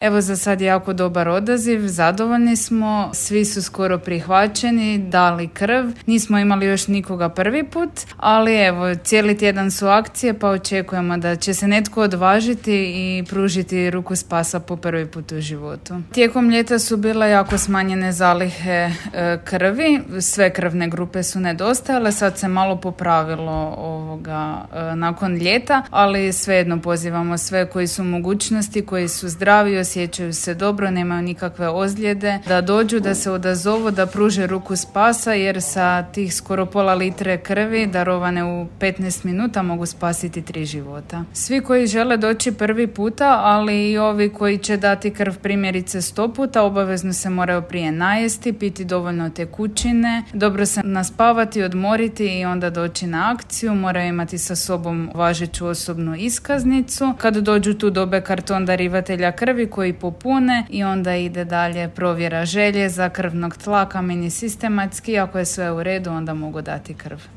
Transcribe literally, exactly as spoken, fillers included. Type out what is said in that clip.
Evo, za sad je jako dobar odaziv, zadovoljni smo, svi su skoro prihvaćeni, dali krv, nismo imali još nikoga prvi put, ali evo, cijeli tjedan su akcije pa očekujemo da će se netko odvažiti i pružiti ruku spasa po prvi put u životu. Tijekom ljeta su bile jako smanjene zalihe e, krvi, sve krvne grupe su nedostajale, sad se malo popravilo ovoga e, nakon ljeta, ali svejedno pozivamo sve koji su u mogućnosti, koji su zdravi, osjećaju se dobro, nemaju nikakve ozljede, da dođu, da se odazovu, da pruže ruku spasa, jer sa tih skoro pola litre krvi darovane u petnaest minuta mogu spasiti tri života. Svi koji žele doći prvi puta, ali i ovi koji će dati krv primjerice sto puta, obavezno se moraju prije najesti, piti dovoljno tekućine, dobro se naspavati, odmoriti i onda doći na akciju, moraju imati sa sobom važeću osobnu iskaznicu. Kad dođu tu dobe karton darivatelja krvi koji popune i onda ide dalje provjera željeza, krvnog tlaka, mini sistematski. Ako je sve u redu, onda mogu dati krv.